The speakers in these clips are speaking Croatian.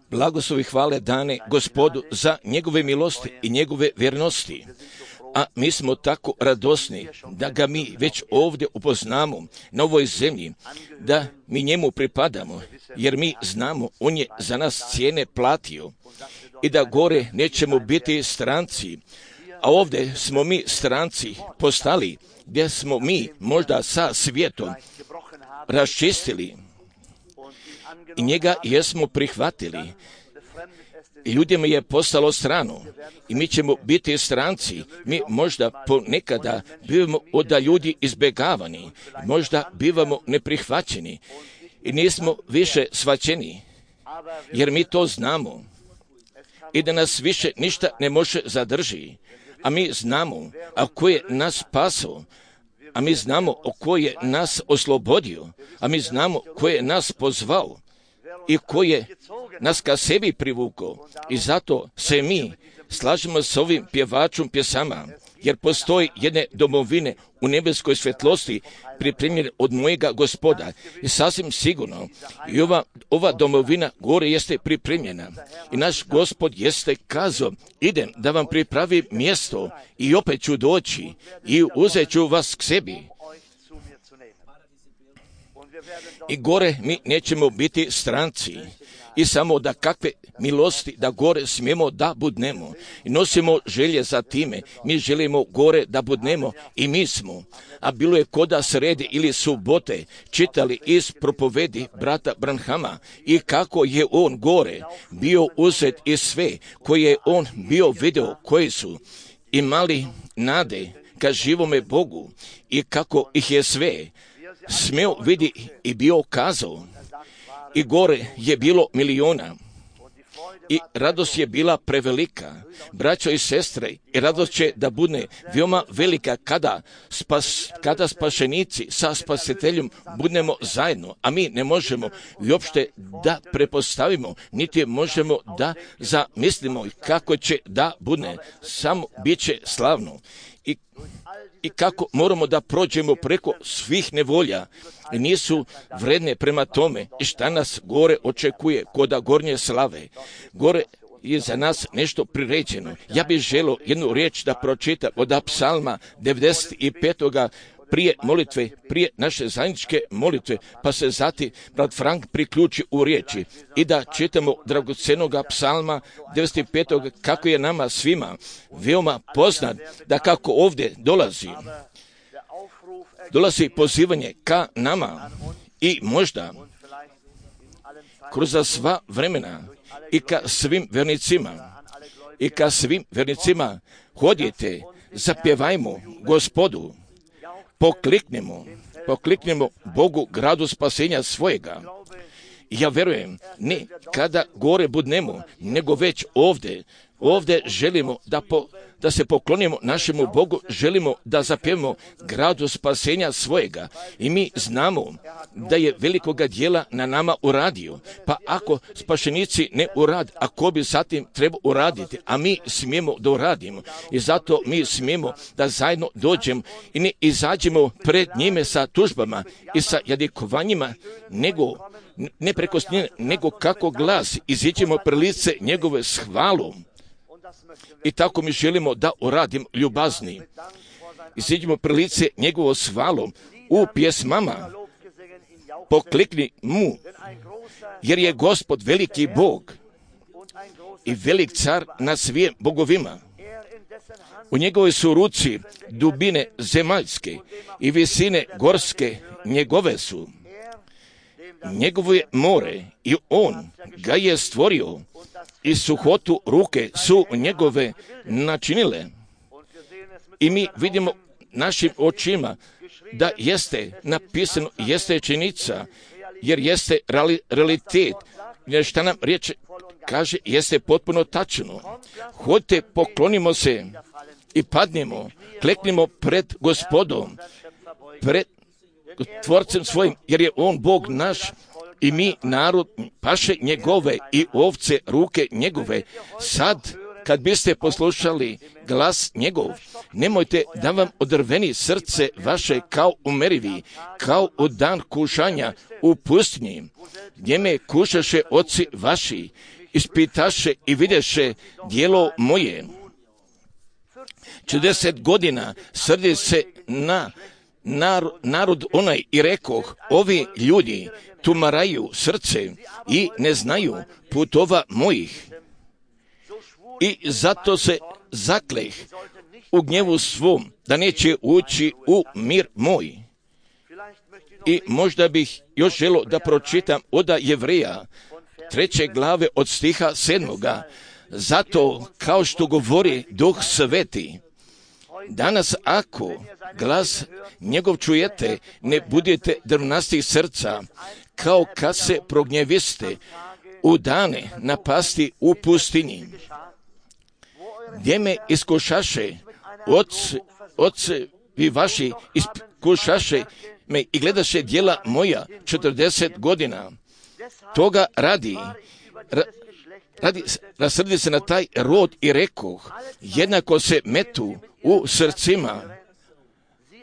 Blagoslovi hvale dane Gospodu za njegove milosti i njegove vjernosti. A mi smo tako radosni da ga mi već ovdje upoznamo na ovoj zemlji, da mi njemu pripadamo, jer mi znamo, on je za nas cijene platio i da gore nećemo biti stranci. A ovdje smo mi stranci postali, gdje smo mi možda sa svijetom raščistili i njega jesmo prihvatili. I ljudima je postalo strano i mi ćemo biti stranci. Mi možda ponekada bivamo od ljudi izbjegavani, možda bivamo neprihvaćeni i nismo više shvaćeni, jer mi to znamo i da nas više ništa ne može zadrži. A mi znamo, a ko je nas spasao, a mi znamo o ko je nas oslobodio, a mi znamo ko je nas pozvao i ko je nas ka sebi privukao. I zato se mi slažemo s ovim pjevačom pjesama, jer postoji jedne domovine u nebeskoj svjetlosti pripremljene od mojega Gospoda. I sasvim sigurno i ova domovina gore jeste pripremljena. I naš Gospod jeste kazao, idem da vam pripravim mjesto i opet ću doći i uzet ću vas k sebi. I gore mi nećemo biti stranci. I samo da kakve milosti da gore smijemo da budnemo. I nosimo želje za time. Mi želimo gore da budnemo i mi smo. A bilo je koda srede ili subote čitali iz propovedi brata Branhama i kako je on gore bio uzet i sve koje je on bio video, koji su imali nade ka živome Bogu i kako ih je sve smeo vidi i bio kazao. I gore je bilo miliona i radost je bila prevelika. Braćo i sestre, i radost će da bude veoma velika kada spašenici sa spasiteljem budemo zajedno, a mi ne možemo uopšte da prepostavimo, niti možemo da zamislimo kako će da bude. Samo bit će slavno. I kako moramo da prođemo preko svih nevolja, nisu vredne prema tome i šta nas gore očekuje koda gornje slave. Gore je za nas nešto priređeno. Ja bih želio jednu riječ da pročitam od Psalma 95. prije molitve, prije naše zajedničke molitve, pa se zatim brat Frank priključi u riječi i da čitamo dragocenoga Psalma 95. kako je nama svima veoma poznat, da kako ovdje dolazi pozivanje ka nama i možda kroz sva vremena i ka svim vernicima hodite, zapjevajmo Gospodu, pokliknemo Bogu gradu spasenja svojega. Ja vjerujem, ne kada gore budnemo, nego već ovdje želimo da se poklonimo našemu Bogu, želimo da zapjevamo gradu spasenja svojega. I mi znamo da je velikoga djela na nama uradio. Pa ako spašenici ne urad, a ko bi zatim trebao uraditi, a mi smijemo da uradimo. I zato mi smijemo da zajedno dođemo i ne izađemo pred njime sa tužbama i sa jadikovanjima, ne preko snije, nego kako glas, iziđemo pred lice njegove s hvalom. I tako mi želimo da uradimo ljubazni. Iziđemo pred lice njegovo s hvalom u pjesmama. Poklikni mu, jer je Gospod veliki Bog i velik car na svim bogovima. U njegovoj su ruci dubine zemaljske i visine gorske njegove su. Njegovo je more i on ga je stvorio i suhotu ruke su njegove načinile. I mi vidimo našim očima da jeste napisano, jeste činjenica, jer jeste realitet. Jer šta nam riječ kaže, jeste potpuno tačno. Hodite, poklonimo se i padnemo, kleknimo pred Gospodom, pred Tvorcem svojim, jer je on Bog naš i mi narod paše njegove i ovce ruke njegove. Sad kad biste poslušali glas njegov, nemojte da vam odrveni srce vaše kao u merivi, kao u dan kušanja u pustinji, gdje me kušaše oci vaši, ispitaše i videše djelo moje. 40 godina srdi se na narod onaj i rekoh, ovi ljudi tumaraju srce i ne znaju putova mojih. I zato se zakleh u gnjevu svom da neće ući u mir moj. I možda bih još želio da pročitam oda Jevreja 3. glave od stiha 7. Zato, kao što govori Duh Sveti, danas ako glas njegov čujete, ne budete drvnastih srca, kao kad se prognjeviste u dane napasti u pustinji, gdje me iskušaše ocevi vaši, iskušaše me i gledaše djela moja 40 godina. Toga radi rasrdi se na taj rod i rekoh, jednako se metu u srcima,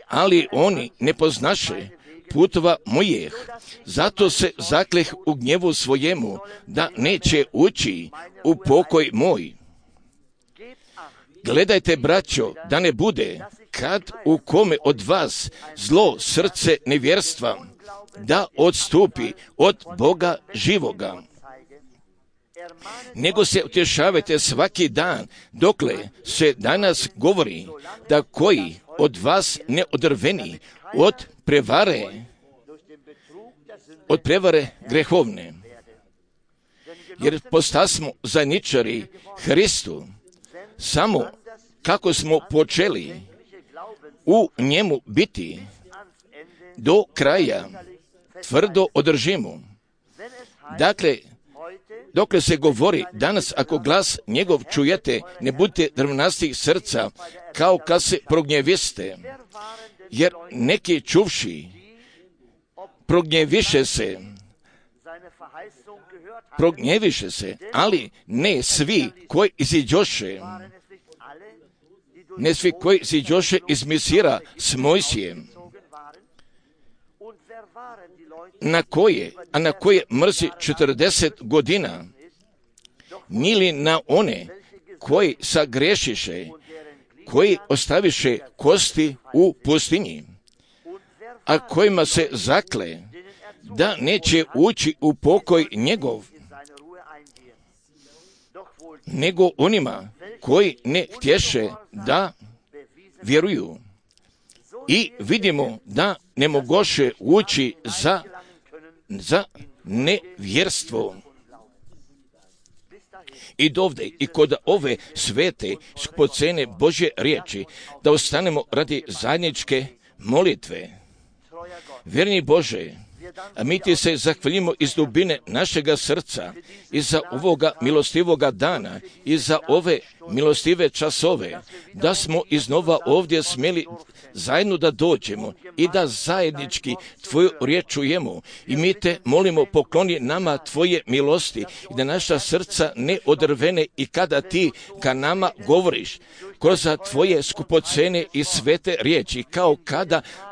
ali oni ne poznaše putova mojih, zato se zakleh u gnjevu svojemu da neće ući u pokoj moj. Gledajte, braćo, da ne bude, kad u kome od vas zlo srce nevjerstva, da odstupi od Boga živoga. Nego se utješavajte svaki dan, dokle se danas govori da koji od vas ne odrveni od prevare grehovne. Jer postasmo zajedničari Hristu, samo kako smo počeli u njemu biti, do kraja tvrdo održimo. Dakle, dokle se govori danas, ako glas njegov čujete, ne budite drvnastih srca, kao kad se prognjeviste, jer neki čuvši prognjeviše se, ali ne svi koji iziđoše, ne svi koji iziđoše iz Misira s Mojsijem, na koje mrzi 40 godina, nili na one koji sagrešiše, koji ostaviše kosti u pustinji, a kojima se zakle da neće ući u pokoj njegov, nego onima koji ne htješe da vjeruju. I vidimo da ne mogoše ući za nevjerstvo. I dovde i kod ove svete skupocene Božje riječi da ostanemo radi zajedničke molitve. Vjerni Bože, a mi ti se zahvaljujemo iz dubine našega srca i za ovoga milostivoga dana i za ove milostive časove, da smo iznova ovdje smjeli zajedno da dođemo i da zajednički Tvoju riječ čujemo. I mi te molimo, pokloni nama Tvoje milosti i da naša srca ne odrvene i kada Ti ka nama govoriš kroz Tvoje skupocene i svete riječi,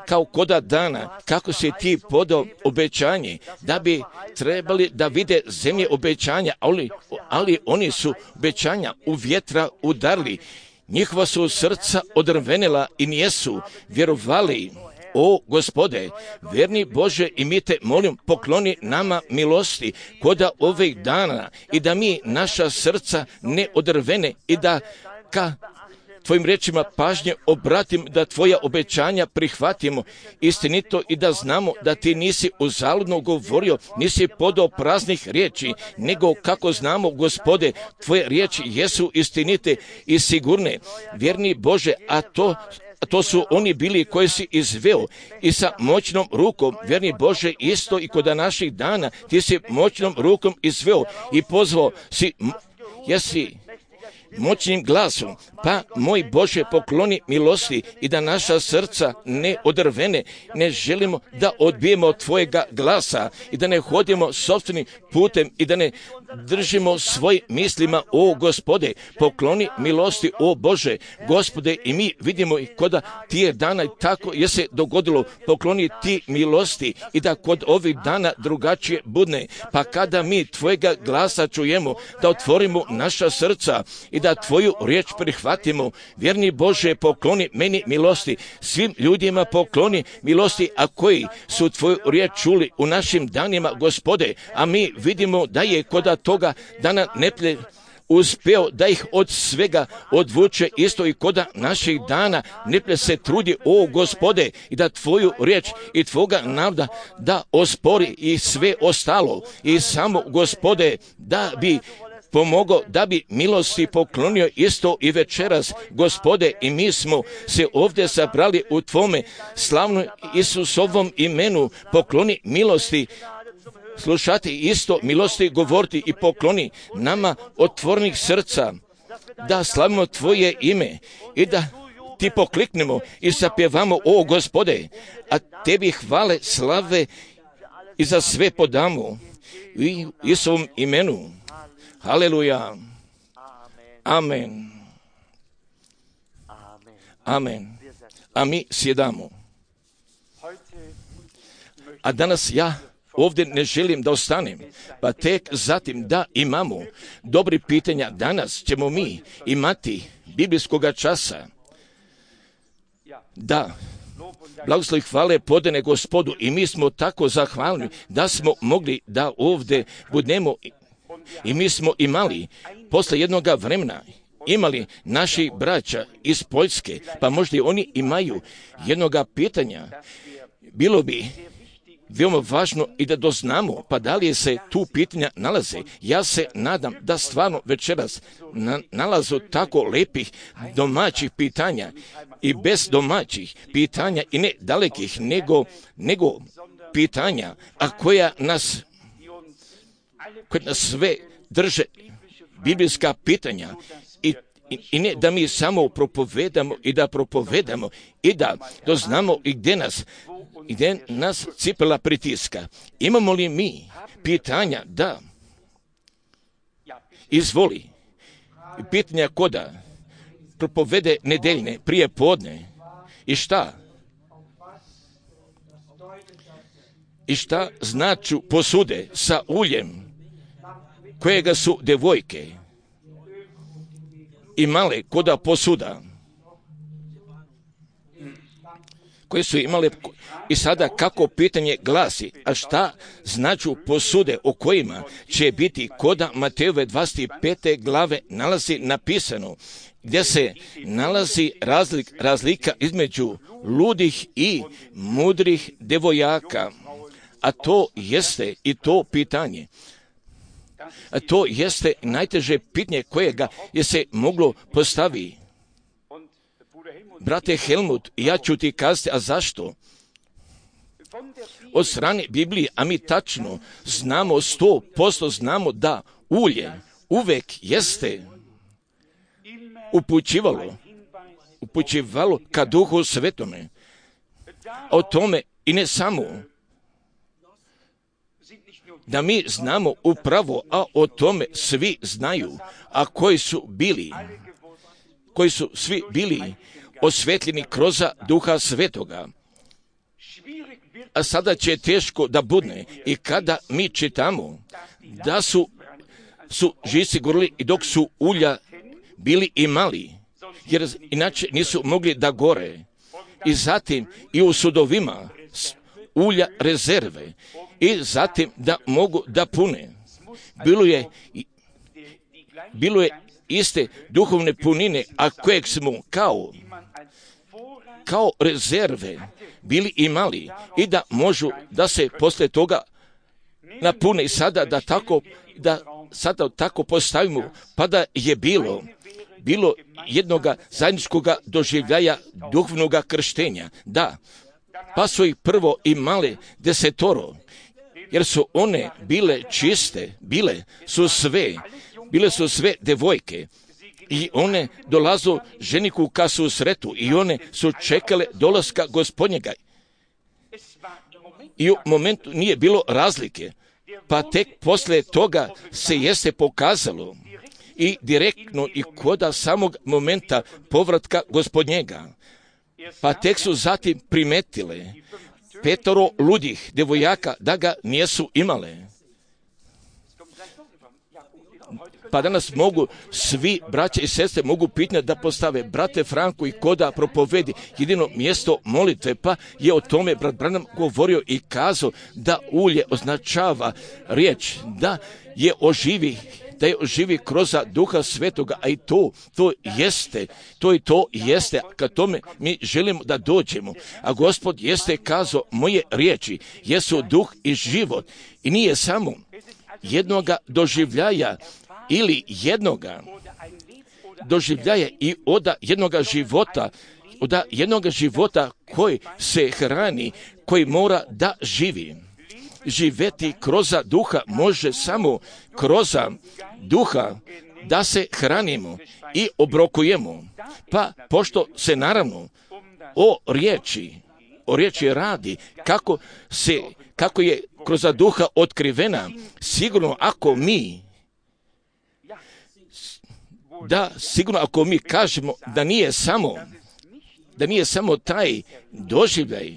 kao koda dana, kako si Ti podao obećanje, da bi trebali da vide zemlje obećanja, ali oni su obećanja u vjetra udarli. Njihova su srca odrvenela i nijesu vjerovali. O Gospode, vjerni Bože, i mi te molim, pokloni nama milosti koda ovih dana i da mi naša srca ne odrvene i da ka Tvojim riječima pažnje obratim, da Tvoja obećanja prihvatimo istinito i da znamo da Ti nisi uzaludno govorio, nisi podao praznih riječi, nego kako znamo, Gospode, Tvoje riječi jesu istinite i sigurne. Vjerni Bože, a to su oni bili koji si izveo i sa moćnom rukom, vjerni Bože, isto i kod naših dana, Ti si moćnom rukom izveo i pozvao si, moćnim glasom, pa moj Bože pokloni milosti i da naša srca ne odrvene, ne želimo da odbijemo Tvojega glasa i da ne hodimo sopstvenim putem i da ne držimo svoj mislima, o Gospode, pokloni milosti, o Bože, Gospode, i mi vidimo i koda tije dana tako je se dogodilo, pokloni ti milosti i da kod ovih dana drugačije budne, pa kada mi Tvojega glasa čujemo, da otvorimo naša srca i da Tvoju riječ prihvatimo. Vjerni Bože, pokloni meni milosti, svim ljudima pokloni milosti, a koji su Tvoju riječ čuli u našim danima, Gospode, a mi vidimo da je koda toga dana neplje uspeo da ih od svega odvuče, isto i koda naših dana neplje se trudi, o Gospode, i da Tvoju riječ i Tvoga navda da ospori i sve ostalo, i samo, Gospode, da bi pomogao, da bi milosti poklonio isto i večeras, Gospode, i mi smo se ovdje sabrali u Tvome slavnom Isusovom imenu, pokloni milosti, slušati isto milosti, govoriti i pokloni nama otvornih srca, da slavimo Tvoje ime i da Ti pokliknemo i zapjevamo, o Gospode, a Tebi hvale, slave i za sve podamo i u Isusovom imenu. Haleluja. Amen. Amen. A mi sjedamo. A danas ja ovdje ne želim da ostanem, pa tek zatim da imamo dobri pitanja. Danas ćemo mi imati biblijskoga časa. Da, blagoslov i hvale podane Gospodu, i mi smo tako zahvalni da smo mogli da ovdje budemo, i mi smo imali posle jednoga vremena imali naših braća iz Poljske, pa možda i oni imaju jednoga pitanja. Bilo bi veoma važno i da doznamo, pa da li se tu pitanja nalaze. Ja se nadam da stvarno večeras nalazu tako lepih domaćih pitanja i bez domaćih pitanja i ne dalekih, nego pitanja, a koja nas sve drže, biblijska pitanja, i ne da mi samo propovedamo i da doznamo i gdje nas cipela pritiska. Imamo li mi pitanja? Da. Izvoli. Pitanja koda propovede nedeljne prije podne. I šta? I šta značu posude sa uljem kojega su devojke imale koda posuda koje su imale, i sada kako pitanje glasi, a šta značu posude o kojima će biti koda Matejove 25. glave nalazi napisano, gdje se nalazi razlika između ludih i mudrih devojaka, a to jeste i to pitanje. A to jeste najteže pitanje kojega je se moglo postaviti. Brate Helmut, ja ću ti kazati, a zašto? Od strane Biblije, a mi tačno znamo, 100% znamo da ulje uvek jeste upućivalo ka Duhu Svetome. O tome i ne samo da mi znamo upravo, a o tome svi znaju, a koji su svi bili osvetljeni kroz Duha Svetoga. A sada će teško da budne i kada mi čitamo da su žici gorili i dok su ulja bili i mali, jer inače nisu mogli da gore. I zatim i u sudovima ulja rezerve i zatim da mogu da pune. Bilo je iste duhovne punine, a kojeg smo kao rezerve bili imali i da možu da se posle toga napune. I sada sada tako postavimo, pa da je bilo jednoga zajedničkoga doživljaja duhovnoga krštenja. Da, pa su ih prvo imale 10, jer su one bile čiste, bile su sve devojke, i one dolazu ženiku ka susretu i one su čekale dolaska Gospodnjega. I u momentu nije bilo razlike, pa tek poslije toga se jeste pokazalo i direktno i koda samog momenta povratka Gospodnjega. Pa tek su zatim primetile 5 ludih devojaka da ga nijesu imale. Pa danas mogu svi braće i sestre mogu pitanje da postave brate Franku i koda propovedi jedino mjesto molitve, pa je o tome brat Branham govorio i kazao da ulje označava riječ, da je oživi kroz Duha Svetoga, a i to jeste, kad tome mi želimo da dođemo. A Gospod jeste kazao, moje riječi jesu duh i život i nije samo jednoga doživljaja ili jednoga doživljaja i od jednoga života koji se hrani, koji mora da živi. Živeti kroz duha može samo kroz duha da se hranimo i obrokujemo. Pa pošto se naravno o riječi radi, kako je kroz duha otkrivena, sigurno ako mi kažemo da nije samo taj doživljaj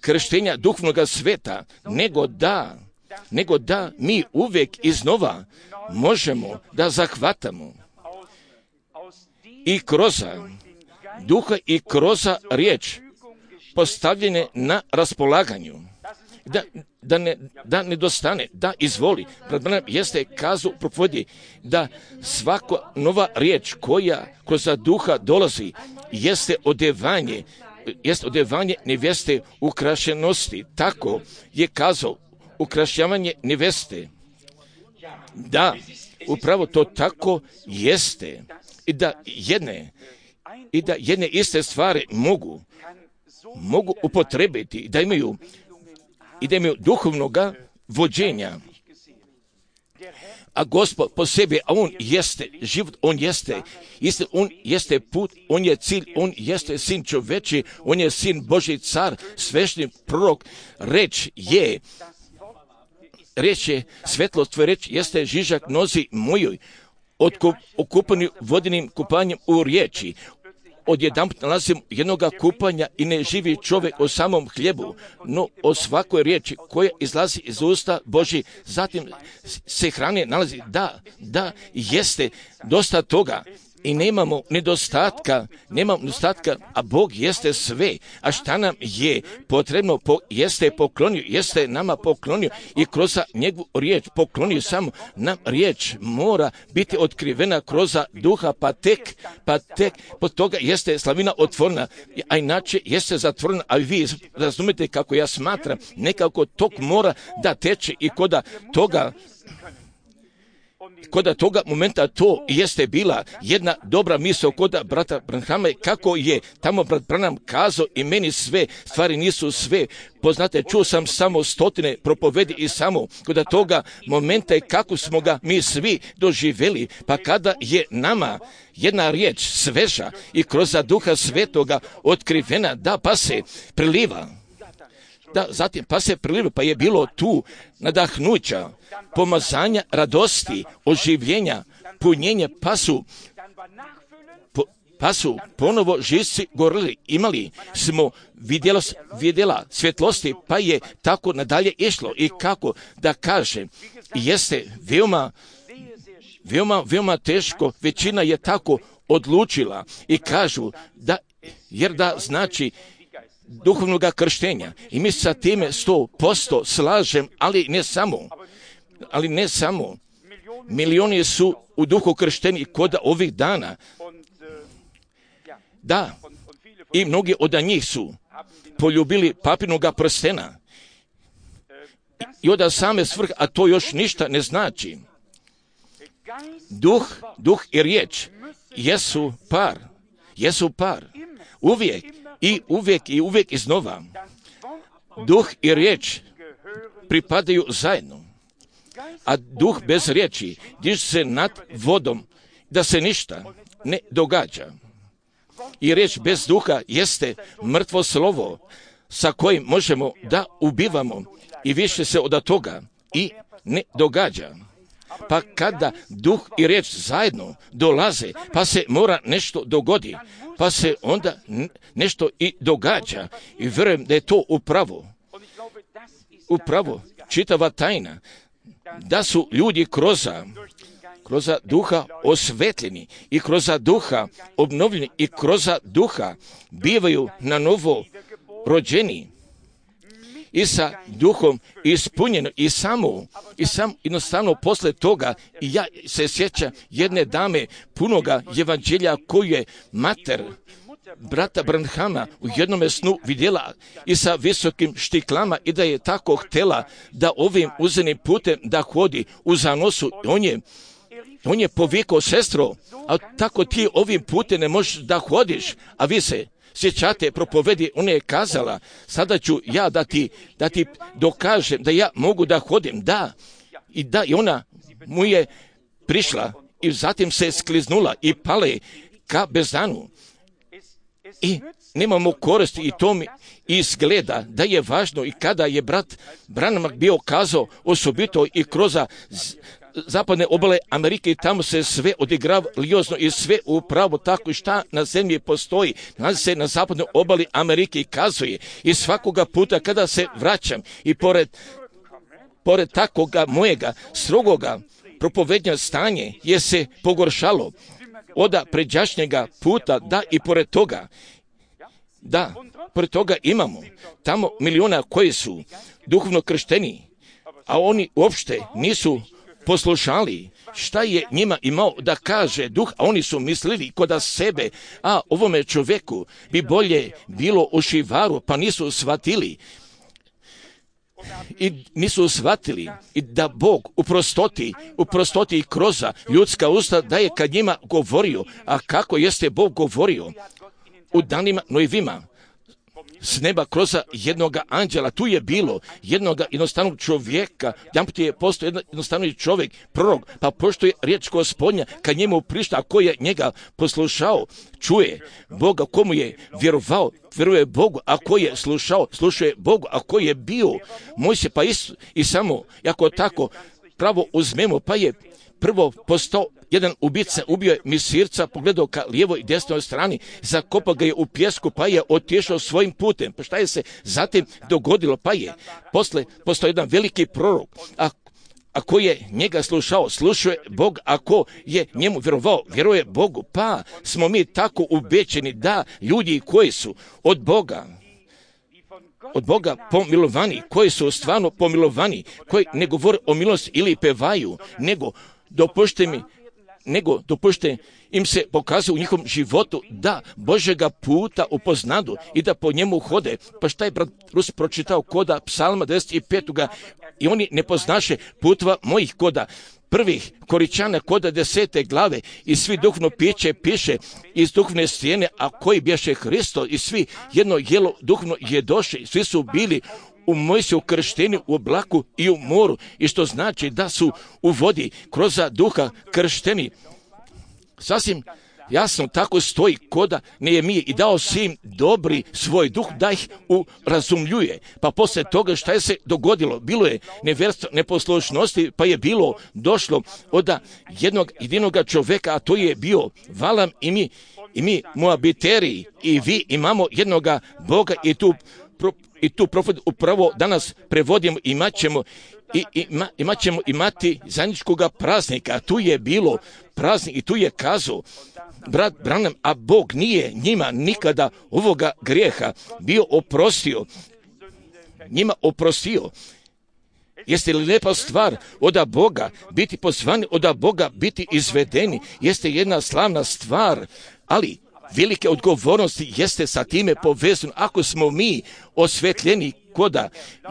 krštenja duhovnog sveta, nego da mi uvijek iznova možemo da zahvatamo i kroz duha i kroz riječ postavljene na raspolaganju. Da ne dostane, da izvoli. Jeste kazao propovedi da svaka nova riječ koja kroz duha dolazi jeste odevanje neveste ukrašenosti. Tako je kazao ukrašavanje neveste. Da, upravo to tako jeste. I da jedne iste stvari mogu upotrebiti i da imaju duhovnoga vođenja. A Gospod po sebi, a On jeste život, On jeste put, On je cilj, On jeste sin čoveči, On je sin Božji car, svešni prorok, reč je svetlost, tvoja reč jeste žižak nozi mojoj, okupanju vodenim kupanjem u riječi. Odjedanput nalazim jednoga kupanja i ne živi čovjek o samom hljebu, no o svakoj riječi koja izlazi iz usta Božji, zatim se hrane nalazi. Da, jeste dosta toga i nemamo nedostatka, a Bog jeste sve. A šta nam je potrebno, jeste nama poklonio i kroz njegovu riječ poklonio samo nam riječ mora biti otkrivena kroz duha, pa tek pod toga jeste slavina otvorena, a inače jeste zatvorena, a vi razumijete kako ja smatram, nekako tok mora da teče i Koda toga momenta to jeste bila jedna dobra misao koda brata Branhama, kako je tamo brat Branham kazao i meni sve stvari nisu sve poznate, čuo sam samo 100 propovedi i samo koda toga momenta je kako smo ga mi svi doživjeli, pa kada je nama jedna riječ sveža i kroz Duha Svetoga otkrivena, da pa se priliva. Da, zatim pa se priliva, pa je bilo tu nadahnuća, pomazanja, radosti, oživljenja, punjenja, pa su ponovo živci gorili, imali smo vidjela svjetlosti, pa je tako nadalje išlo. I kako da kažem, jeste veoma teško, većina je tako odlučila i kažu da, jer da znači duhovnog krštenja. I mi sa time 100% slažem, ali ne samo. Milioni su u duhu kršteni kod ovih dana. Da, i mnogi od njih su poljubili papinoga prstena. I od same svrhe, a to još ništa ne znači. Duh i riječ jesu par. Uvijek iznova. Duh i riječ pripadaju zajedno. A duh bez riječi diže se nad vodom, da se ništa ne događa. I riječ bez duha jeste mrtvo slovo sa kojim možemo da ubivamo i više se od toga i ne događa. Pa kada duh i riječ zajedno dolaze, pa se mora nešto dogodi, pa se onda nešto i događa. I vjerujem da je to upravo čitava tajna, da su ljudi kroz duha osvetljeni i kroz duha obnovljeni i kroz duha bivaju na novo rođeni i sa duhom ispunjeno i samo jednostavno posle toga. I ja se sjećam jedne dame punoga evanđelja koju je mater brata Branhama u jednome snu vidjela i sa visokim štiklama i da je tako htjela da ovim uzenim putem da hodi u zanosu. On je povikao: sestro, a tako ti ovim putem ne možeš da hodiš, a vi se sjećate propovedi. Ona je kazala: sada ću ja da ti dokažem da ja mogu da hodim. I ona mu je prišla i zatim se skliznula i pale ka bezdanu. I nemamo koristi i to mi izgleda da je važno. I kada je brat Branham bio kazao osobito i kroz zapadne obale Amerike, i tamo se sve odigrava liozno i sve upravo tako i šta na zemlji postoji, nalazi se na zapadnoj obali Amerike i kazuje. I svakoga puta kada se vraćam i pored takoga mojega strogoga propovednja stanje je se pogoršalo od pređašnjega puta, i pored toga imamo tamo miliona koji su duhovno kršteni, a oni uopšte nisu poslušali šta je njima imao da kaže duh, a oni su mislili kod sebe: a ovome čovjeku bi bolje bilo u šivaru, pa nisu shvatili i da Bog u prostoti kroz ljudska usta da je kad njima govorio. A kako jeste Bog govorio? U danima Nojevima s neba kroz jednoga anđela. Tu je bilo jednoga jednostavnog čovjeka, jedanput je postao jednostavni čovjek, prorok, pa pošto je riječ Gospodnja kad njemu prišla, a ko je njega poslušao, čuje Boga. Komu je vjerovao, vjeruje Bogu, a ko je slušao, slušuje Bogu, a ko je bio Mojsije, pa i samo jako tako pravo uzmemo, pa je prvo postao jedan ubica, ubio je misirca, pogledao ka lijevoj i desnoj strani, zakopao ga je u pjesku, pa je otišao svojim putem. Pa šta je se zatim dogodilo? Pa je posle postao jedan veliki prorok, a ko je njega slušao, slušuje Bog, a ko je njemu vjerovao, vjeruje Bogu. Pa smo mi tako ubećeni da ljudi koji su od Boga pomilovani, koji su stvarno pomilovani, koji ne govore o milosti ili pevaju, nego dopušte im se pokazuje u njihovom životu da Božega puta upoznadu i da po njemu hode. Pa šta je brat Rus pročitao koda Psalma 25. I oni ne poznaše putova mojih koda prvih Koričana koda 10. glave i svi duhovno piše iz duhovne stijene, a koji bješe Hristo i svi jedno jelo duhovno jedoše, svi su bili u Mojsiju kršteni u oblaku i u moru, i što znači da su u vodi kroz duha kršteni. Sasvim jasno tako stoji koda Nehemije: i dao si im dobri svoj duh da ih urazumljuje. Pa poslije toga šta je se dogodilo? Bilo je nevjerstvo, neposlušnosti, pa je došlo od jednog jedinog čovjeka, a to je bio Valam, i mi Moabiteri, i vi imamo jednoga Boga, i tu profet upravo danas prevodimo. Imat ćemo imati zajedničkoga praznika, a tu je bilo praznik i tu je kazao brat Branham: a Bog nije njima nikada ovoga grijeha bio njima oprostio. Jeste li lijepa stvar od Boga biti pozvani, od Boga biti izvedeni? Jeste jedna slavna stvar, ali velike odgovornosti jeste sa time povezano. Ako smo mi osvetljeni koda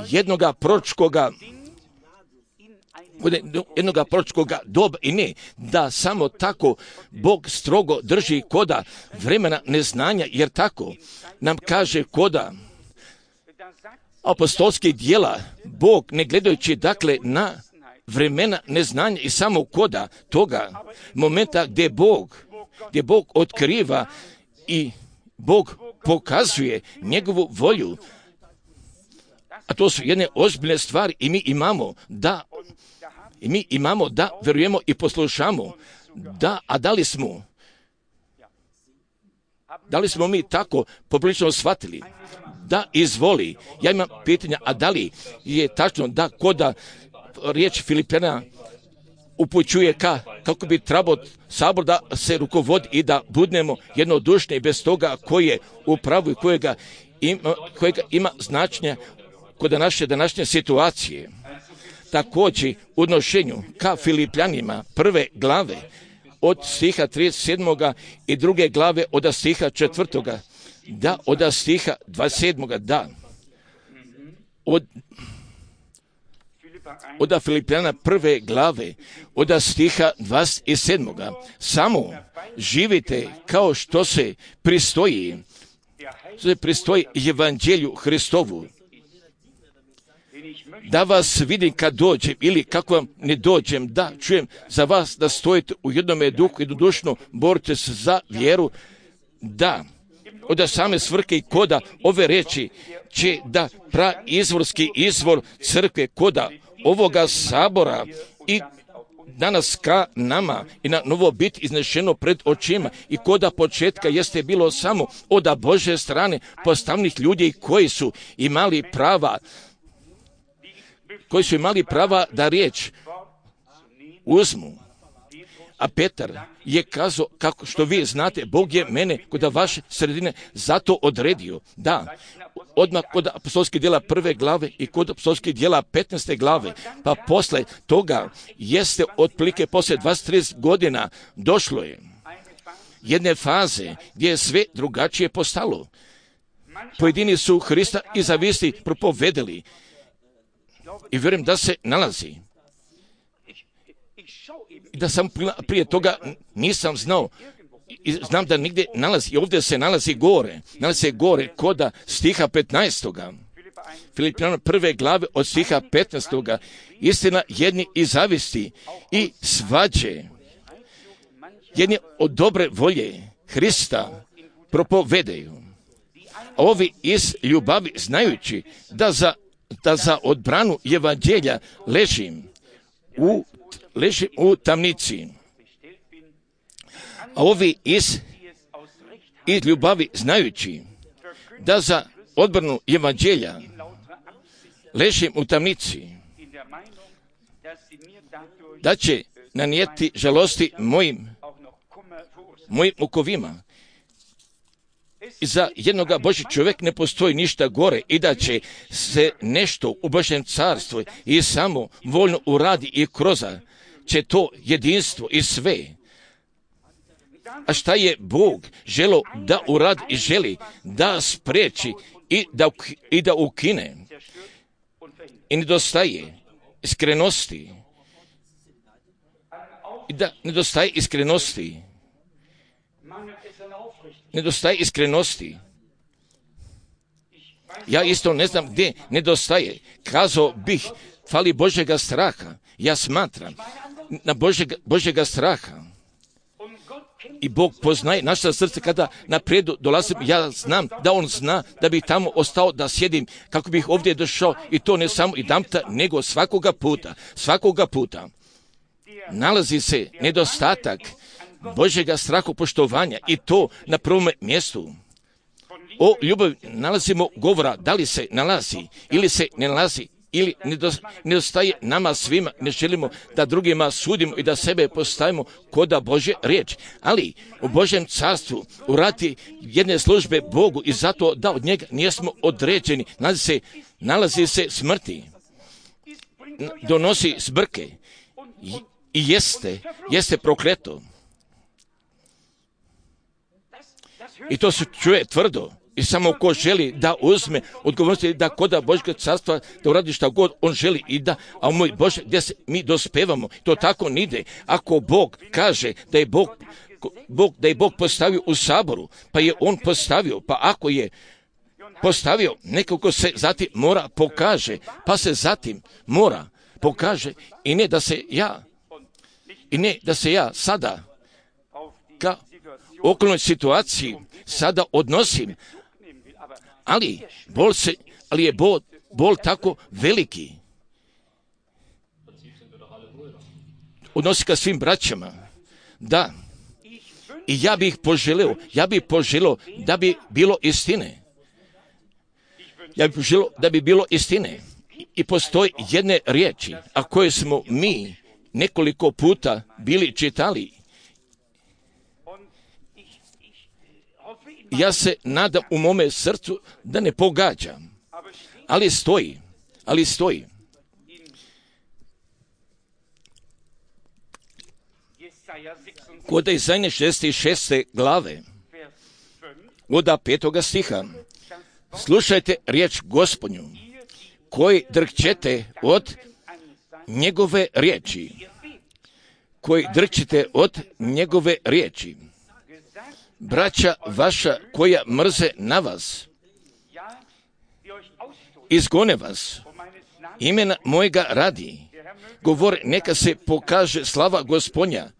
jednoga proročkoga doba, i ne da samo tako Bog strogo drži koda vremena neznanja, jer tako nam kaže koda apostolskih djela, Bog ne gledajući dakle na vremena neznanja i samo koda toga momenta gdje Bog gdje Bog otkriva i Bog pokazuje njegovu volju. A to su jedne ozbiljne stvari i mi imamo da vjerujemo i poslušamo. Da li smo mi tako poprilično shvatili? Da, izvoli. Ja imam pitanja, a da li je tačno da koda riječ Filipljana upućuje kako bi trebao sabor da se rukovodi i da budemo jednodušni bez toga koji je u pravu i kojega ima značenja kod naše današnje situacije. Također u odnošenju ka Filipljanima prve glave od stiha 37. i druge glave od stiha 4. Da, od stiha 27. da. Od Filipljana prve glave od stiha 27. Samo živite kao što se pristoji evanđelju Hristovu. Da vas vidim kad dođem ili kako vam ne dođem, da čujem za vas da stojite u jednome duhu i dušno borite se za vjeru, da od same svrhe i koda ove reči će da izvorski izvor crkve koda ovoga sabora i danas ka nama i na novo biti iznešeno pred očima i koda početka jeste bilo samo od Božje strane postavnih ljudi koji su imali prava da riječ uzmu. A Petar je kazao, kako što vi znate, Bog je mene kod vaše sredine zato odredio. Da, odmah kod apostolskih djela 1. glave i kod apostolskih djela 15. glave, pa posle toga jeste otprilike posle 20-30 godina došlo je jedne faze gdje je sve drugačije postalo. Pojedini su Hrista i zavisti propovedeli i vjerujem da se nalazi. I da sam prije toga nisam znao i znam da nigdje nalazi i ovdje se nalazi gore koda stiha 15. Filipljana prve glave od stiha 15. Istina jedni i zavisti i svađe, jedni od dobre volje Hrista propovedaju. A ovi iz ljubavi znajući da za odbranu evanđelja ležim u tamnici. A ovi iz ljubavi znajući da za odbranu evanđelja ležim u tamnici, da će nanijeti žalosti mojim mukovima. I za jednoga Božji čovjek ne postoji ništa gore i da će se nešto u Božjem carstvu i samo voljno uradi i kroza će to jedinstvo i sve. A šta je Bog želo da uradi i želi da spriječi i da ukine? I nedostaje iskrenosti. I da nedostaje iskrenosti. Ja isto ne znam gdje nedostaje. Kazao bih, fali Božjega straha. Ja smatram na Božjega straha. I Bog poznaje naša srce kada naprijed dolazim. Ja znam da On zna da bih tamo ostao da sjedim kako bih ovdje došao i to ne samo jedanputa nego svakoga puta. Nalazi se nedostatak Božjega straha poštovanja i to na prvom mjestu. O ljubavi nalazimo govora da li se nalazi ili se ne nalazi ili nedostaje nama svima. Ne želimo da drugima sudimo i da sebe postavimo koda Božje riječ. Ali u Božjem carstvu urati jedne službe Bogu i zato da od njega nismo određeni. Nalazi se smrti. Donosi zbrke i jeste prokleto. I to se čuje tvrdo. I samo ko želi da uzme odgovornosti da koda Božjeg carstva da uradi šta god on želi i da, a moj Bože, gdje se mi dospevamo, to tako ne ide. Ako Bog kaže da je Bog postavio u saboru, pa je on postavio, pa ako je postavio, nekoliko se zatim mora pokaže, pa se zatim mora pokaže i ne da se ja sada ka okolnoj situaciji sada odnosim, ali je bol tako veliki. Odnosi ka svim braćama, da. I ja bih poželio da bi bilo istine. Ja bih poželio da bi bilo istine. I postoji jedne riječi, a koje smo mi nekoliko puta bili čitali. Ja se nadam u mome srcu da ne pogađam, ali stoji. Kod Izaije 66. glave, od 5. stiha, slušajte riječ Gospodnju, koji drhćete od njegove riječi, braća vaša koja mrze na vas, izgone vas, imena mojega radi, govor neka se pokaže slava Gospodnja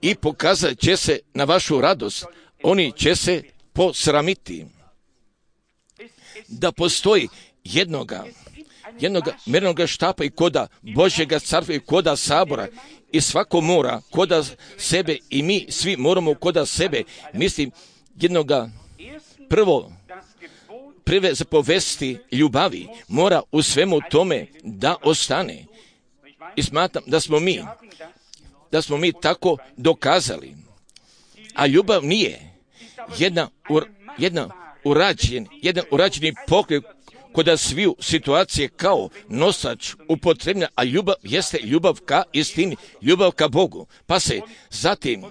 i pokazat će se na vašu radost, oni će se posramiti. Da postoji jednoga mjernoga štapa i koda Božjega carstva i koda sabora i svako mora koda sebe i mi svi moramo koda sebe, mislim jednoga prve zapovesti ljubavi mora u svemu tome da ostane. I smatram da smo mi tako dokazali. A ljubav nije jedan urađeni pokret koda sviju situacije kao nosač upotrebna, a ljubav jeste ljubav ka istini, ljubav ka Bogu. Pa se zatim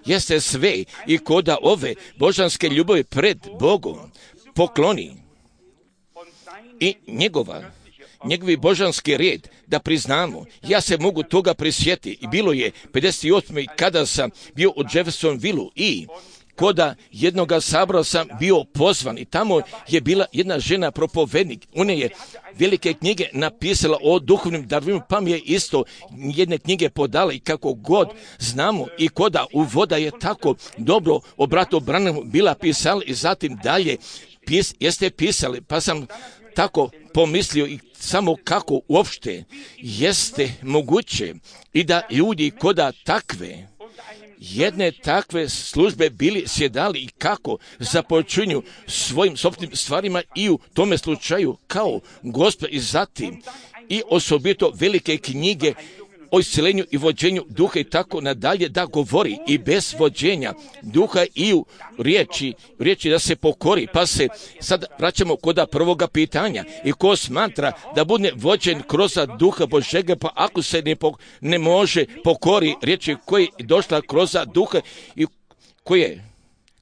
jeste sve i koda ove božanske ljubavi pred Bogom pokloni i njegovi božanski red da priznamo. Ja se mogu toga prisjetiti. I bilo je 58. kada sam bio u Jeffersonvilleu i koda jednoga sabora sam bio pozvan i tamo je bila jedna žena propovednik. Ona je velike knjige napisala o duhovnim darovima, pa mi je isto jedne knjige podala i kako god znamo i koda uvoda je tako dobro o bratu Branhamu bila pisala i zatim dalje jeste pisali, pa sam tako pomislio i samo kako uopšte jeste moguće i da ljudi koda jedne takve službe bili sjedali i kako započinju svojim sopstvenim stvarima i u tome slučaju kao Gospod i zatim i osobito velike knjige o isceljenju i vođenju duha i tako nadalje da govori i bez vođenja duha i u riječi da se pokori. Pa se sad vraćamo kod prvoga pitanja i ko smatra da bude vođen kroz duha Božega, pa ako se ne može pokori riječi koji je došla kroz duha i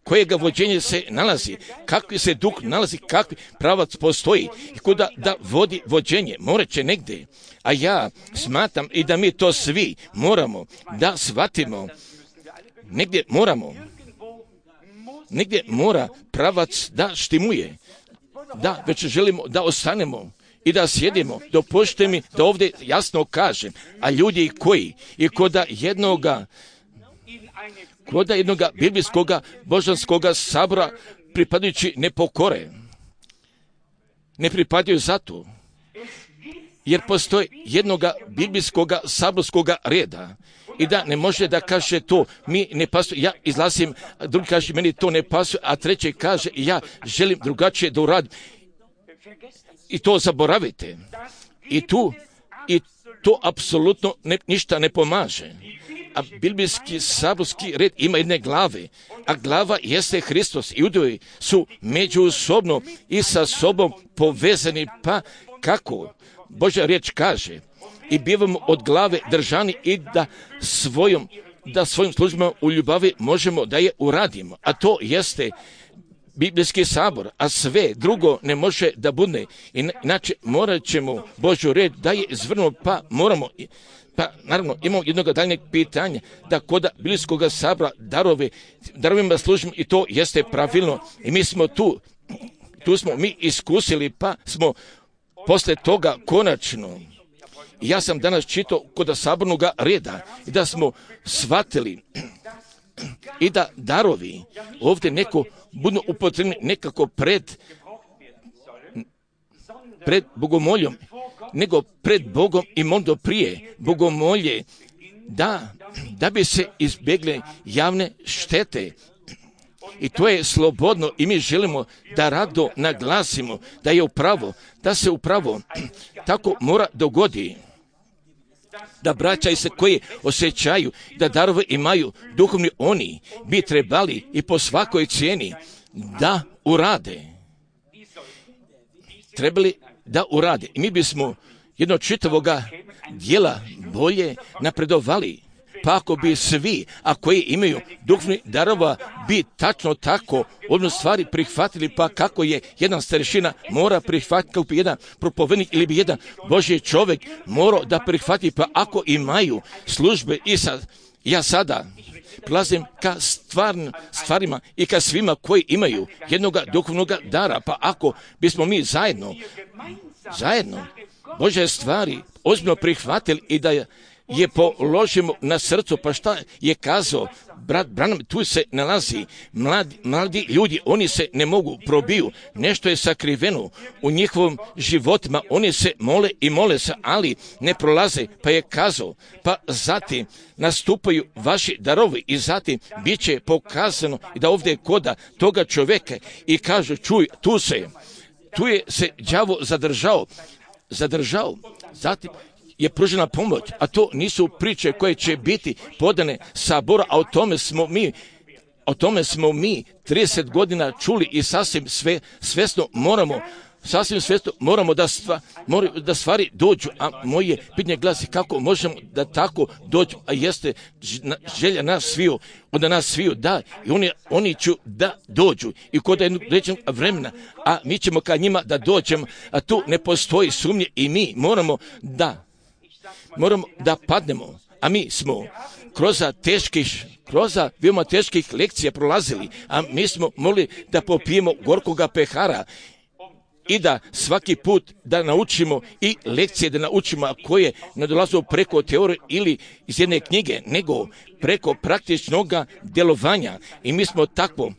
kojega vođenje se nalazi, kakvi se duh nalazi, kakvi pravac postoji i kuda da vodi vođenje, morat će negdje. A ja smatram i da mi to svi moramo da shvatimo, negdje mora pravac da štimuje, da već želimo da ostanemo i da sjedimo. Dopustite mi da ovdje jasno kažem, a ljudi koji i koda jednoga biblijskoga božanskoga sabora pripadajući ne pokore, ne pripadaju zato, jer postoji jednoga biblijskoga saborskoga reda i da ne može da kaže to mi ne pasuje, ja izlazim, drugi kaže meni to ne pasuje, a treći kaže ja želim drugačije da uradim i to zaboravite i to apsolutno ništa ne pomaže. A biblijski saborski red ima jedne glave, a glava jeste Hristos i udovi su međusobno i sa sobom povezani, pa kako Božja riječ kaže i bivamo od glave držani i da svojim službama u ljubavi možemo da je uradimo, a to jeste biblijski sabor, a sve drugo ne može da bude, inače morat ćemo Božju riječ da je izvrnuo, pa moramo. Pa naravno imamo jednog daljnjeg pitanja da kod biblijskog sabora darovima služimo i to jeste pravilno i mi smo tu smo mi iskusili pa smo posle toga konačno Ja sam danas čitao kod sabornog reda i da smo shvatili i da darovi ovdje neko budu upotrebni nekako pred bogomoljom, nego pred Bogom i možda prije bogomolje, da bi se izbjegle javne štete. I to je slobodno i mi želimo da rado naglasimo da je upravo, da se upravo tako mora dogodi. Da braća se koji osjećaju da darove imaju duhovni, oni bi trebali i po svakoj cijeni da urade. Trebali da urade. I mi bismo jedno čitavoga dijela bolje napredovali. Pa ako bi svi, a koji imaju duhovni darova, bi tačno tako odno stvari prihvatili, pa kako je jedan starešina mora prihvatiti, kako bi jedan propovednik ili bi jedan Božji čovjek morao da prihvati, pa ako imaju službe i sad, ja sada prilazim ka stvarima i ka svima koji imaju jednog duhovnog dara, pa ako bismo mi zajedno Božje stvari ozbiljno prihvatili i da je položimo na srcu, pa šta je kazao brat Branham, tu se nalazi mladi ljudi, oni se ne mogu probiju, nešto je sakriveno u njihovom životima, oni se mole i mole se, ali ne prolaze, pa je kazao, pa zatim nastupaju vaši darovi i zatim bit će pokazano i da ovdje koda toga čovjeka i kažu, čuj, tu je se đavo zadržao, zatim je pružena pomoć, a to nisu priče koje će biti podane Sabora, a o tome smo mi 30 godina čuli i sasvim svjesno moramo da stvari dođu, a moje pitanje glasi kako možemo da tako dođu, a jeste želja nas sviju, onda nas sviju da i oni ću da dođu i kod jednog vremena, a mi ćemo ka njima da dođemo, a tu ne postoji sumnje i mi moramo da padnemo, a mi smo kroz veoma teških lekcija prolazili, a mi smo mogli da popijemo gorkoga pehara i da svaki put da naučimo i lekcije da naučimo koje ne dolaze preko teorije ili iz jedne knjige, nego preko praktičnog djelovanja i mi smo takvo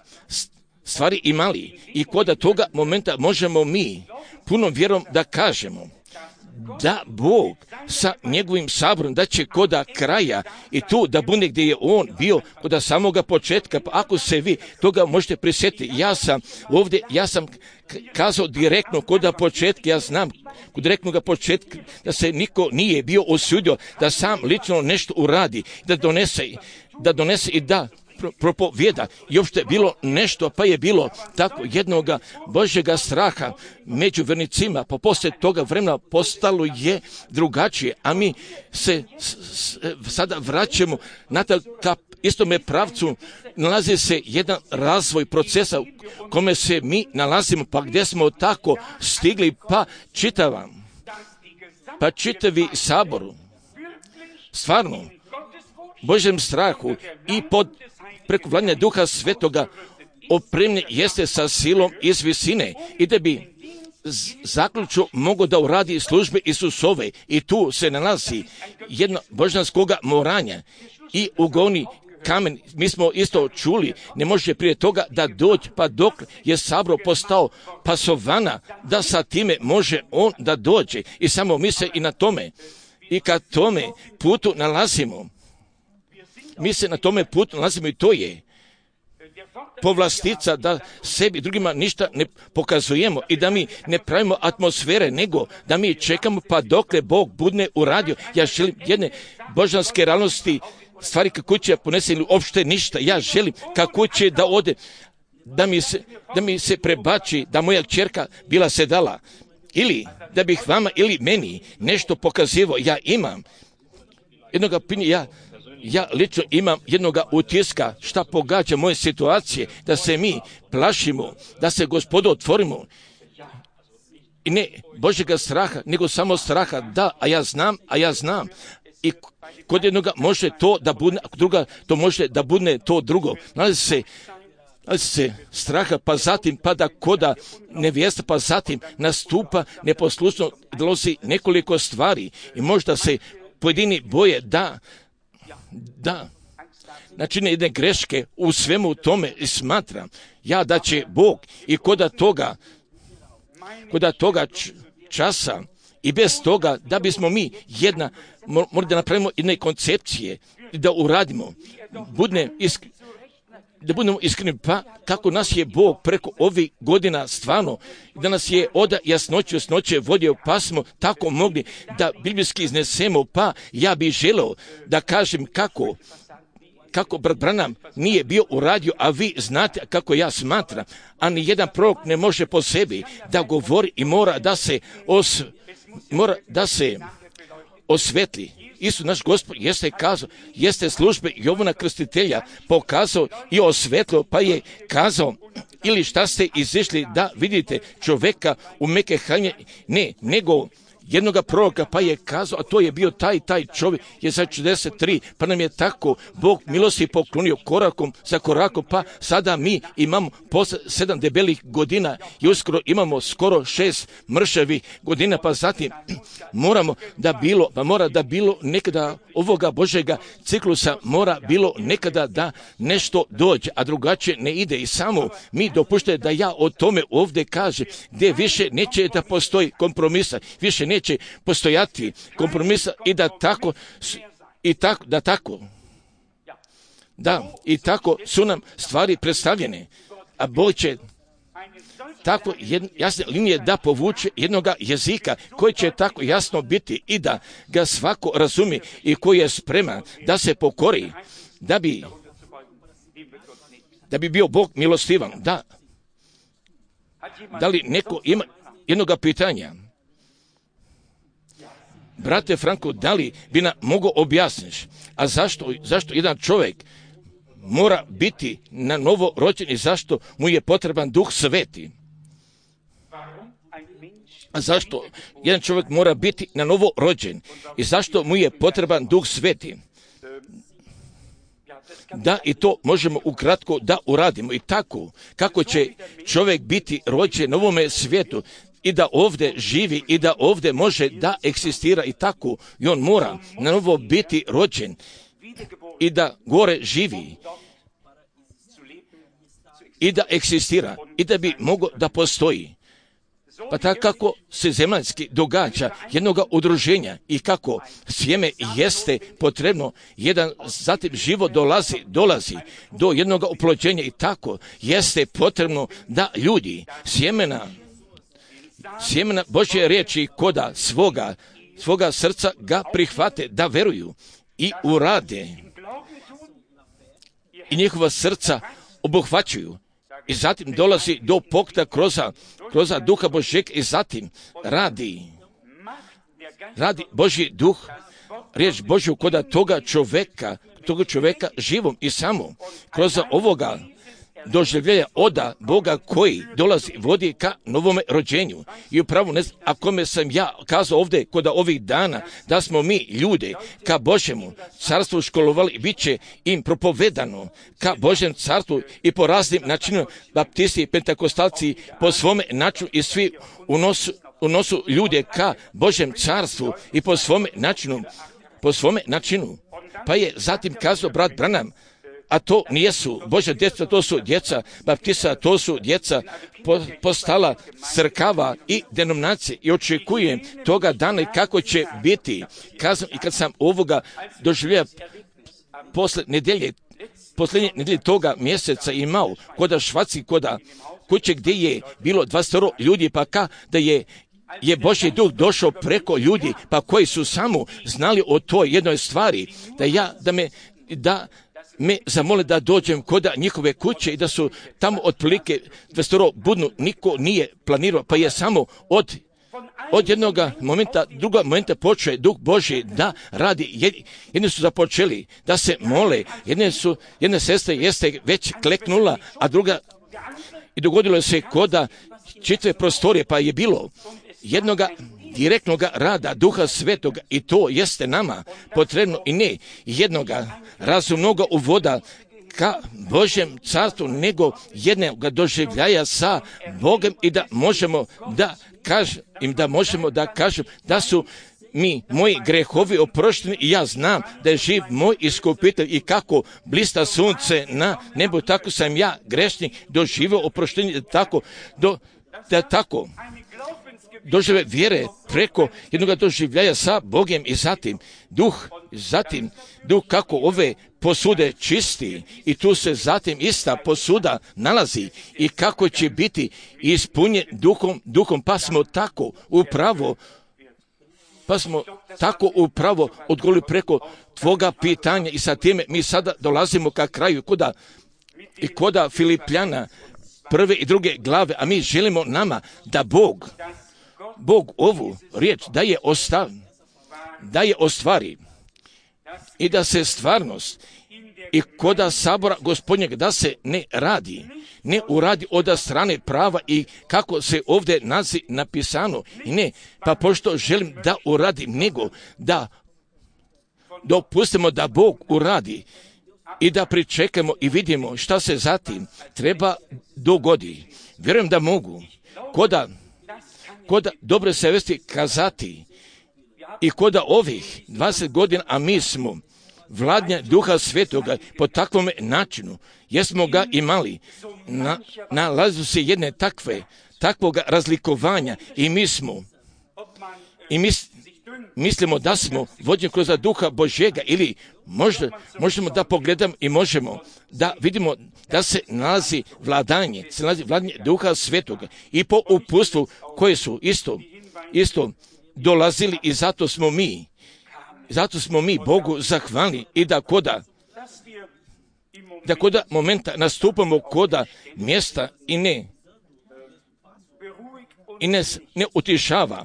stvari imali i kod toga momenta možemo mi punom vjerom da kažemo da Bog sa njegovim saborom da će koda kraja i tu da bude gdje je on bio koda samoga početka, pa ako se vi toga možete prisjetiti, ja sam kazao direktno koda početka, ja znam kod direktnog početka da se niko nije bio osudio da sam lično nešto uradi, da donese i da propovjeda i uopšte bilo nešto, pa je bilo tako jednog Božjega straha među vernicima, pa poslije toga vremena postalo je drugačije, a mi se sada vraćamo na ka istome pravcu, nalazi se jedan razvoj procesa u kome se mi nalazimo, pa gdje smo tako stigli, pa čitavi saboru, stvarno, Božjem strahu i preko vladanja Duha Svetoga opremljen jeste sa silom iz visine i da bi zaključno mogo da uradi službe Isusove i tu se nalazi jedno božanskoga moranja i ugoni kamen. Mi smo isto čuli, ne može prije toga da dođe, pa dok je sabor postao pasovana, da sa time može on da dođe i samo mi se i na tome i kad tome putu nalazimo. Mi se na tome putu nalazimo i to je povlastica da sebi drugima ništa ne pokazujemo i da mi ne pravimo atmosfere, nego da mi čekamo pa dokle Bog bude uradio. Ja želim jedne božanske realnosti, stvari kako će ponese ili uopšte ništa. Ja želim kako će da ode, da mi se prebači, da moja kćerka bila sedala ili da bih vama ili meni nešto pokazivao. Ja imam jednoga pinja, ja lično imam jednoga utiska šta pogađa moje situacije, da se mi plašimo, da se Gospodu otvorimo. I ne Božjega straha, nego samo straha, da, a ja znam. I kod jednoga može to da bude, a druga to može da bude to drugo. Nalazi se se straha, pa zatim pada koda nevjesta, pa zatim nastupa neposlušno, dolazi nekoliko stvari i možda se pojedini boje da načine jedne greške u svemu tome i smatram ja da će Bog i koda toga časa i bez toga da bismo mi moramo da napravimo jedne koncepcije i da uradimo, da budemo iskreni, pa kako nas je Bog preko ovih godina stvarno, da nas je od jasnoće vodio, pa smo tako mogli da biblijski iznesemo, pa ja bih želeo da kažem kako brat Branham nije bio uradio, a vi znate kako ja smatram, a ni jedan prorok ne može po sebi da govori i mora da se osvetli. Isus naš Gospod jeste kazao, jeste službe Jovana Krstitelja pokazao i osvetlo, pa je kazao, ili šta ste izišli da vidite čoveka u meke haljine, ne, nego jednoga proroka, pa je kazao, a to je bio taj čovjek je za 43, pa nam je tako Bog milosti poklonio korakom za korakom, pa sada mi imamo posle 7 debelih godina i uskoro imamo skoro 6 mršavih godina, pa zatim mora da bilo nekada ovoga Božjega ciklusa, mora bilo nekada da nešto dođe, a drugačije ne ide i samo mi dopuštate da ja o tome ovdje kažem, gdje više neće da postoji kompromisa, više neće postojati kompromisa i i tako su nam stvari predstavljene, a Bog će tako jasne linije da povuče jednoga jezika koji će tako jasno biti i da ga svako razumi i koji je spreman da se pokori, da bi bio Bog milostivan. Da li neko ima jednoga pitanja? Brate Franko, da li bi nam mogao objasniš, a zašto jedan čovjek mora biti na novo rođen i zašto mu je potreban Duh Sveti? A zašto jedan čovjek mora biti na novo rođen i zašto mu je potreban Duh Sveti? Da, i to možemo ukratko da uradimo i tako kako će čovjek biti rođen na ovome svijetu i da ovdje živi i da ovdje može da eksistira i tako i on mora na novo biti rođen i da gore živi i da eksistira i da bi mogao da postoji. Pa tako kako se zemaljski događa jednoga udruženja i kako sjeme jeste potrebno, zatim život dolazi do jednoga oplođenja i tako jeste potrebno da ljudi sjemena Božje riječi koda svoga srca ga prihvate, da veruju i urade i njihova srca obuhvaćuju. I zatim dolazi do pokta kroz Duha Božjeg i zatim radi Božji Duh, riječ Božju koda toga čovjeka živom i samo kroz ovoga doživljenja oda Boga koji dolazi, vodi ka novome rođenju. I upravo ako me sam ja kazao ovdje kod ovih dana da smo mi ljude ka Božjemu carstvu školovali, bit će im propovedano ka Božjem carstvu i po raznim načinima, baptisti, pentakostalci po svome načinu i svi unosu ljude ka Božjem carstvu i po svome načinu. Pa je zatim kazao brat Branham, a to nijesu Božja djeca, to su djeca baptista, to su djeca postala crkava i denominacije i očekujem toga dana kako će biti. Kazam i kad sam ovoga doživio posljednje nedelje toga mjeseca imao koda Švaci, koda kuće gdje je bilo 20 ljudi, pa da je Božji Duh došao preko ljudi, pa koji su samo znali o toj jednoj stvari, da me zamole da dođem kod njihove kuće i da su tamo otprilike 20 budnu, niko nije planirao, pa je samo od jednog momenta počeo Duh Božji da radi. Jedni su započeli da se mole, jedna sestra jeste već kleknula, a druga i dogodilo se koda čitave prostorije, pa je bilo jednoga direktnog rada Duha Svetoga i to jeste nama potrebno i ne jednoga razumnog uvoda ka Božjem carstvu, nego jednog doživljaja sa Bogom i da možemo da kažem da su mi moji grehovi oprošteni i ja znam da je živ moj iskupitelj i kako blista sunce na nebu, tako sam ja grešnik doživio oproštenje, da tako dožive vjere preko jednog doživljaja sa Bogom i zatim duh kako ove posude čisti i tu se zatim ista posuda nalazi i kako će biti ispunjen duhom pa smo tako odgovorili preko tvoga pitanja i sa time mi sada dolazimo ka kraju koda Filipljana 1. i 2. glave, a mi želimo nama da Bog ovu riječ da je ostvari i da se stvarnost i koda sabora Gospodnjeg da se ne uradi od strane prava i kako se ovdje napisano i ne, pa pošto želim da uradim, nego da dopustimo da Bog uradi i da pričekamo i vidimo šta se zatim treba dogodi. Vjerujem da mogu koda dobre savjesti kazati i koda ovih 20 godina, a mi smo vladnja Duha Svetoga po takvom načinu, jesmo ga imali, nalazu se jedne takvog razlikovanja i mislimo da smo vođeni kroz Duha Božjega ili možemo da pogledamo i možemo da vidimo da se nalazi vladanje Duha Svetoga i po uputstvu koje su isto dolazili i zato smo mi Bogu zahvalni i da koda momenta nastupamo koda mjesta i nas ne utišava,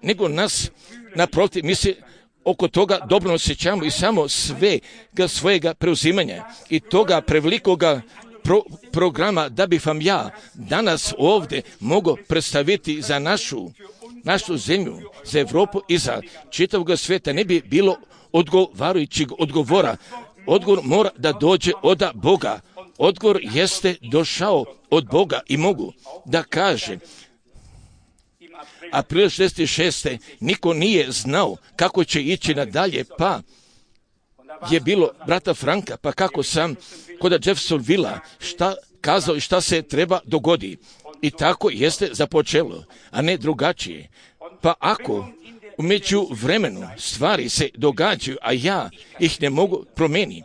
nego nas naprotiv, mi se oko toga dobro osjećamo i samo svojega preuzimanja i toga prevelikoga programa da bih vam ja danas ovdje mogao predstaviti za našu zemlju, za Europu i za čitavog svijeta ne bi bilo odgovarajućeg odgovora. Odgovor mora da dođe od Boga. Odgovor jeste došao od Boga i mogu da kaže april 66. niko nije znao kako će ići nadalje, pa je bilo brata Franka, pa kako sam kod Jeffersonvilla šta kazao i šta se treba dogodi. I tako jeste započelo, a ne drugačije. Pa ako u međuvremenu stvari se događaju, a ja ih ne mogu promijeniti,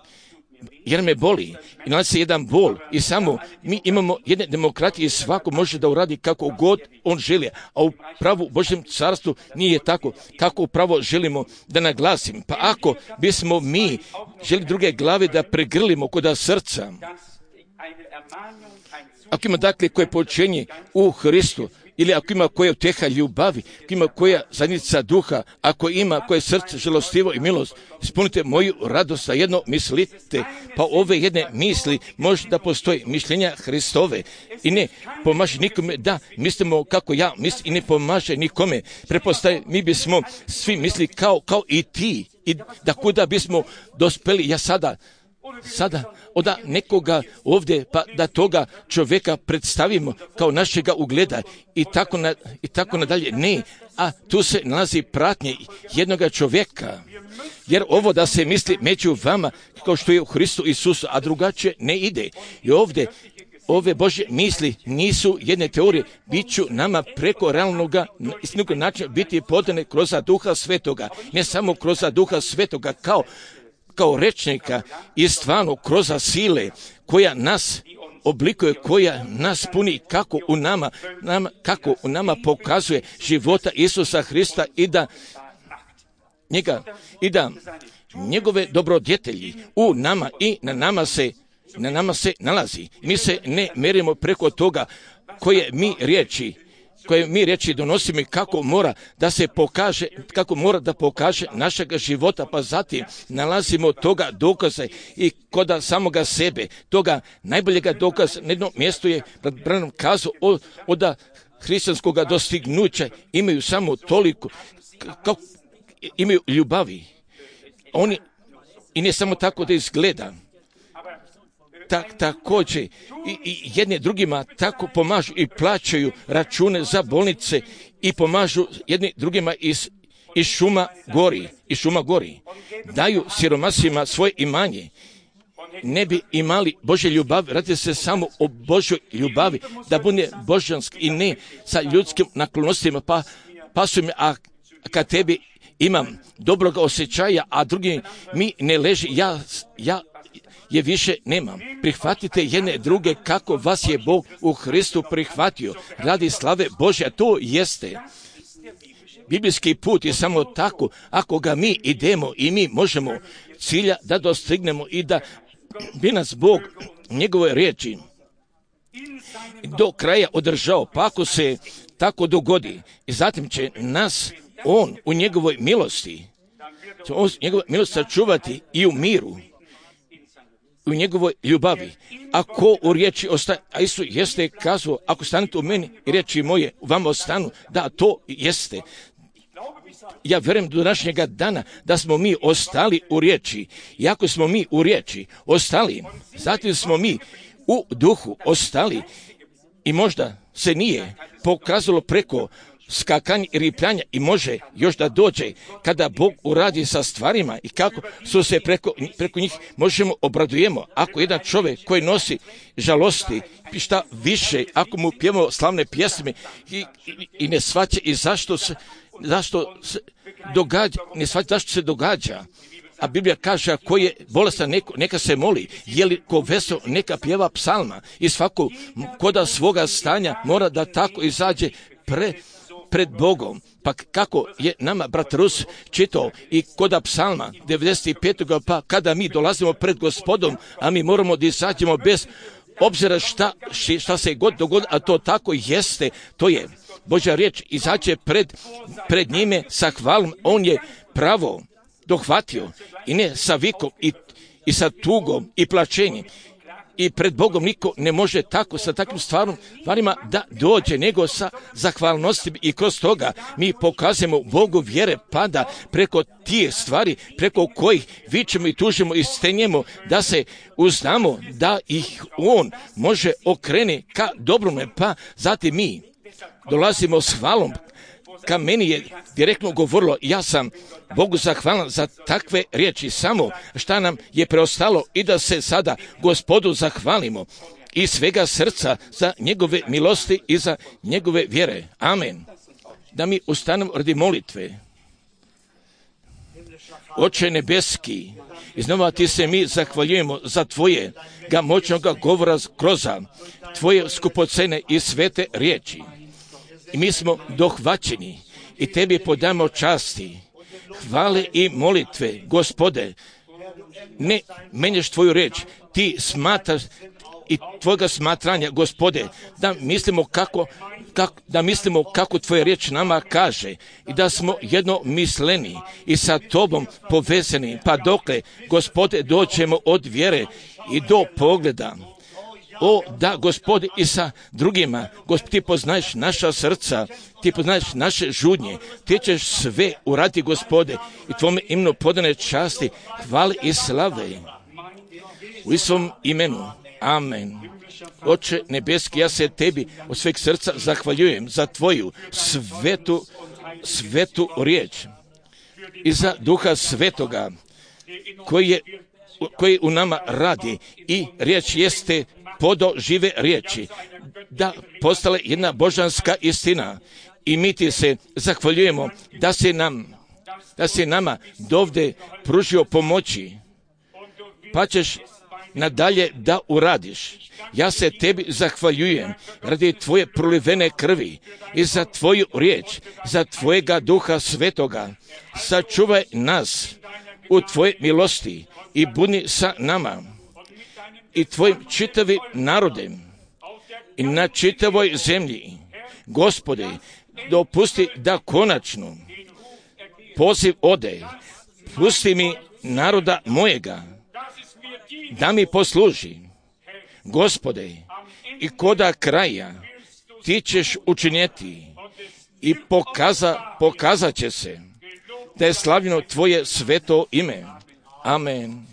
jer me boli i nalazi se jedan bol i samo mi imamo jedne demokratije i svako može da uradi kako god on želi, a u pravu Božjem carstvu nije tako kako upravo želimo da naglasim. Pa ako bismo mi želi druge glave da pregrlimo kod srca, ako ima dakle koje poučenje u Hristu, ili ako ima koja uteha ljubavi, ako ima koja zajednica duha, ako ima koje srce žalostivo i milost, ispunite moju radost, a jedno mislite, pa ove jedne misli može da postoji mišljenja Hristove i ne pomaže nikome da mislimo kako ja mislim i ne pomaže nikome. Prepostaje, mi bismo svi misli kao i ti i da kuda bismo dospeli, ja sada od nekoga ovdje, pa da toga čovjeka predstavimo kao našega ugleda i tako nadalje. Ne, a tu se nalazi pratnje jednoga čovjeka. Jer ovo da se misli među vama kao što je u Hristu Isusu, a drugačije ne ide. I ovdje ove Božje misli nisu jedne teorije, bit ću nama preko realnog istinoga načina biti podane kroz Duha Svetoga, ne samo kroz Duha Svetoga kao rečnika i stvarno kroz sile koja nas oblikuje, koja nas puni kako u nama pokazuje života Isusa Hrista i da njegove dobrodjetelji u nama i na nama se nalazi. Mi se ne merimo preko toga koje mi riječi donosimo i kako mora da pokaže našega života, pa zatim nalazimo toga dokaza i kod samoga sebe, toga najboljega dokaza. Na jednom mjestu je Branham kazao od hrišćanskog dostignuća imaju samo toliko, imaju ljubavi. Oni, i ne samo tako da izgleda, također i jedni drugima tako pomažu i plaćaju račune za bolnice i pomažu jedni drugima iz šuma gori. Daju siromasima svoje imanje. Ne bi imali Božje ljubavi, radi se samo o Božjoj ljubavi, da bude božanski i ne sa ljudskim naklonostima, pa su mi, a kad tebi imam dobroga osjećaja, a drugi mi ne leži, ja je više nemam. Prihvatite jedne druge kako vas je Bog u Hristu prihvatio, radi slave Božja, to jeste. Biblijski put je samo tako, ako ga mi idemo i mi možemo cilja da dostignemo i da bi nas Bog njegove riječi do kraja održao, pa ako se tako dogodi, i zatim će nas on u njegovoj milosti sačuvati i u miru, u njegovoj ljubavi. Ako u riječi ostaje, a Isus jeste kazao, ako stanete u meni i riječi moje u vama ostanu, da to jeste. Ja vjerujem do današnjega dana da smo mi ostali u riječi. I ako smo mi u riječi ostali, zatim smo mi u duhu ostali i možda se nije pokazalo preko skakanja i ripljanja i može još da dođe kada Bog uradi sa stvarima i kako su se preko njih možemo obradujemo. Ako jedan čovjek koji nosi žalosti, šta više, ako mu pjevamo slavne pjesme i ne shvaća i zašto se događa, ne shvaća zašto se događa. A Biblija kaže, ako je bolestan, neka se moli, je li ko vesel, neka pjeva psalma i svako koda svoga stanja mora da tako izađe pred Bogom. Pa kako je nama brat Rus čitao i koda psalma 95. pa kada mi dolazimo pred Gospodom, a mi moramo da izađemo bez obzira šta se god dogodi, a to tako jeste, to je Božja riječ, izađe pred njime sa hvalom, on je pravo dohvatio i ne sa vikom i sa tugom i plačenjem. I pred Bogom niko ne može tako sa takvim stvarima da dođe, nego sa zahvalnostima i kroz toga mi pokazujemo Bogu vjere pada preko tih stvari, preko kojih vičemo i tužimo i stenjemo, da se uznamo da ih On može okrene ka dobrome, pa zatim mi dolazimo s hvalom. Ka meni je direktno govorilo, ja sam Bogu zahvalan za takve riječi, samo šta nam je preostalo i da se sada Gospodu zahvalimo iz svega srca za njegove milosti i za njegove vjere. Amen. Da mi ustanemo radi molitve. Oče nebeski, iznova ti se mi zahvaljujemo za tvoje moćnoga govora kroz tvoje skupocene i svete riječi. I mi smo dohvaćeni i tebi podamo časti, hvale i molitve. Gospode, ne menjaš tvoju riječ, ti smatraš i tvoga smatranja, Gospode, da mislimo kako tvoja riječ nama kaže i da smo jednomisleni i sa tobom povezani, pa dokle, Gospode, doćemo od vjere i do pogleda. O, da, Gospode, i sa drugima, Gospod, ti poznaješ naša srca, ti poznaješ naše žudnje, ti ćeš sve uraditi, Gospode, i tvome imenu podane časti, hvale i slave. U Isusovom imenu. Amen. Oče nebeski, ja se tebi od sveg srca zahvaljujem za tvoju svetu riječ i za Duha Svetoga koji u nama radi i riječ jeste podo žive riječi, da postale jedna božanska istina i mi ti se zahvaljujemo da si nama dovde pružio pomoći, pa ćeš nadalje da uradiš. Ja se tebi zahvaljujem radi tvoje prolivene krvi i za tvoju riječ, za tvojega Duha Svetoga. Sačuvaj nas u tvoje milosti i budi sa nama i tvojim čitavim narodem i na čitavoj zemlji. Gospode, dopusti da konačno poziv ode. Pusti mi naroda mojega da mi posluži. Gospode, i koda kraja ti ćeš učinjeti i pokazat će se da je slavljeno tvoje sveto ime. Amen.